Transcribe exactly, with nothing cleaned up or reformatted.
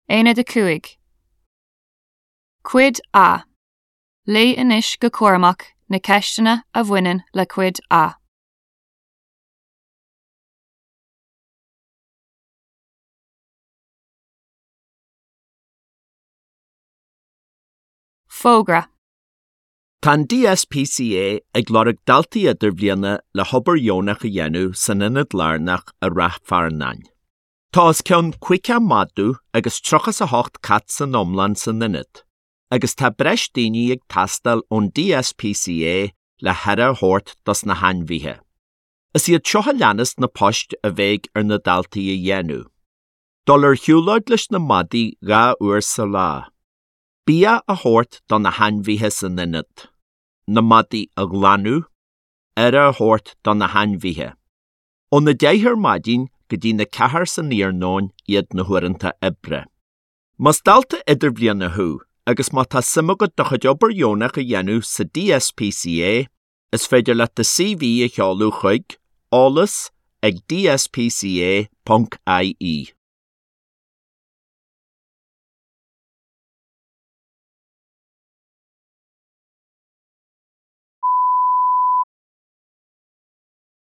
Aonad a cúig. Cuid A. Léigh anois go cúramach na ceisteanna a bhaineann le Cuid A. Fógra. Tá an DSPCA ag lorg daltaí idirbhliana le hobair dheonach a dhéanamh san ionad lárnach i Rath Fearnáin. Tá os cionn caoga madadh agus tríocha is a hocht cat san iomlán san ionad, agus tá breis daoine ag teastáil ón DSPCA le haire a thabhairt dos na hainmhithe. Is iad seo a leanas na poist a bheidh ar na daltaí a dhéanamh. Dul ar shiúlóid leis na madaí dhá uair sa lá. Bia a thabhairt do na hainmhithe san ionad. Na madaí a ghlanadh, aire a thabhairt do na hainmhithe. Óna deich ar maidin go dtí na ceathair san iarnóin iad na huaireanta oibre. Más dalta idirbhliana thú agus má tá suim agat do chuid obair dheonach a dhéanamh sa DSPCA, is féidir leat do CV a sheoladh chuig eolas ag dspca ponc ie.